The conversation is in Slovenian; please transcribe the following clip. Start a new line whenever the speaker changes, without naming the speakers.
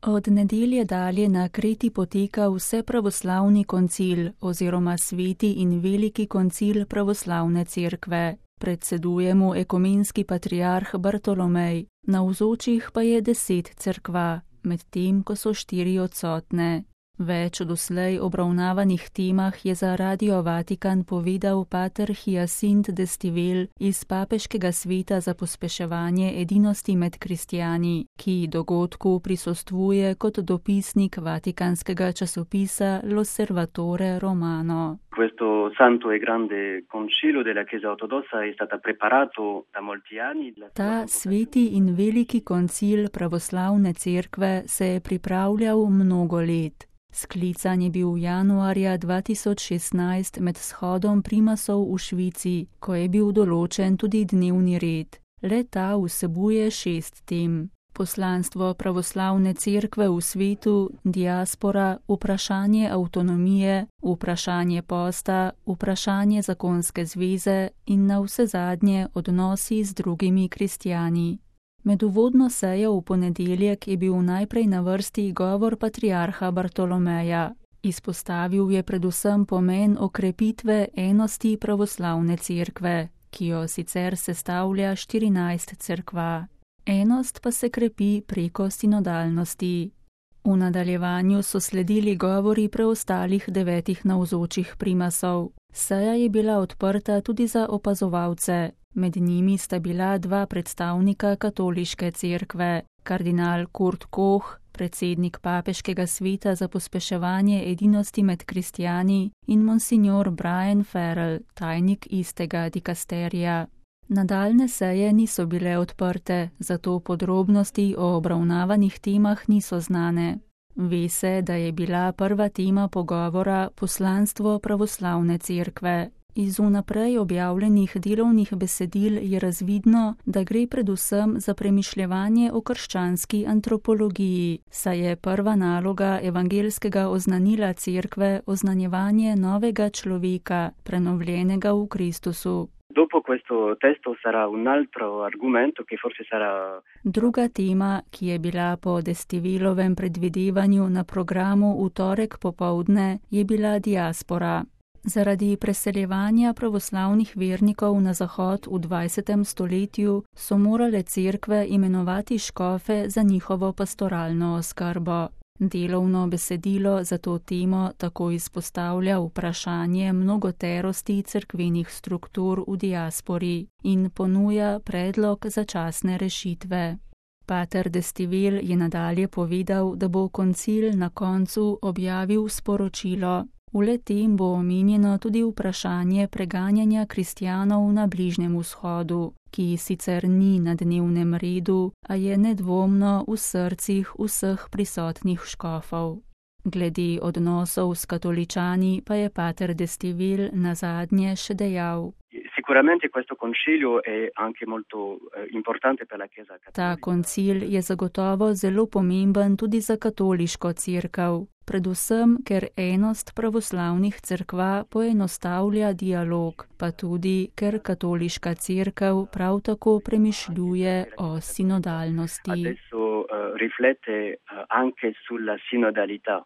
Od nedelje dalje na Kreti poteka Vsepravoslavni koncil oziroma Sveti in Veliki koncil pravoslavne cerkve. Predseduje mu ekumenski patriarh Bartolomej, navzočih pa je 10 cerkva, medtem ko so 4 odsotne. Več o doslej obravnavanih temah je za Radio Vatikan povedal pater Hyacinthe d'Estivelle iz Papeškega sveta za pospeševanje edinosti med kristjani, ki dogodku prisostvuje kot dopisnik vatikanskega časopisa L'Osservatore Romano.
Questo santo e grande concilio della Chiesa ortodossa è stato preparato da molti anni.
Ta sveti in veliki koncil pravoslavne cerkve se je pripravljal mnogo let. Sklican je bil januarja 2016 med shodom primasov v Švici, ko je bil določen tudi dnevni red. Le ta vsebuje 6 tem. Poslanstvo pravoslavne cerkve v svetu, diaspora, vprašanje avtonomije, vprašanje posta, vprašanje zakonske zveze in navsezadnje odnosi z drugimi kristjani. Med uvodno sejo v ponedeljek je bil najprej na vrsti govor patriarha Bartolomeja. Izpostavil je predvsem pomen okrepitve enosti pravoslavne cerkve, ki jo sicer sestavlja 14 cerkva. Enost pa se krepi preko sinodalnosti. V nadaljevanju so sledili govori preostalih 9 navzočih primasov. Seja je bila odprta tudi za opazovalce. Med njimi sta bila 2 predstavnika katoliške cerkve, kardinal Kurt Koch, predsednik Papeškega sveta za pospeševanje edinosti med kristjani, in monsignor Brian Farrell, tajnik istega dikasterija. Nadaljne seje niso bile odprte, zato podrobnosti o obravnavanih temah niso znane. Ve se, da je bila prva tema pogovora poslanstvo pravoslavne cerkve. Iz vnaprej objavljenih delovnih besedil je razvidno, da gre predvsem za premišljevanje o krščanski antropologiji, saj je prva naloga evangelskega oznanila cerkve oznanjevanje novega človeka, prenovljenega v Kristusu.
Dopo questo testo sarà un altro argomento che forse sarà.
Druga tema, ki je bila po d'Estivellovem predvidevanju na programu v torek popoldne, je bila diaspora. Zaradi preseljevanja pravoslavnih vernikov na zahod v 20. stoletju so morale cerkve imenovati škofe za njihovo pastoralno oskrbo. Delovno besedilo za to temo tako izpostavlja vprašanje mnogoterosti cerkvenih struktur v diaspori in ponuja predlog začasne rešitve. Pater d'Estivelle je nadalje povedal, da bo koncil na koncu objavil sporočilo. V le-tem bo omenjeno tudi vprašanje preganjanja kristjanov na Bližnjem vzhodu, ki sicer ni na dnevnem redu, a je nedvomno v srcih vseh prisotnih škofov. Glede odnosov s katoličani pa je pater d'Estivelle nazadnje še dejal.
Sicuramente questo concilio è anche molto importante per la Chiesa cattolica.
Ta koncil je zagotovo zelo pomemben tudi za katoliško cerkev, predvsem ker enost pravoslavnih cerkva poenostavlja dialog, pa tudi ker katoliška cerkev prav tako premišljuje o sinodalnosti.
Adesso riflette anche sulla sinodalità.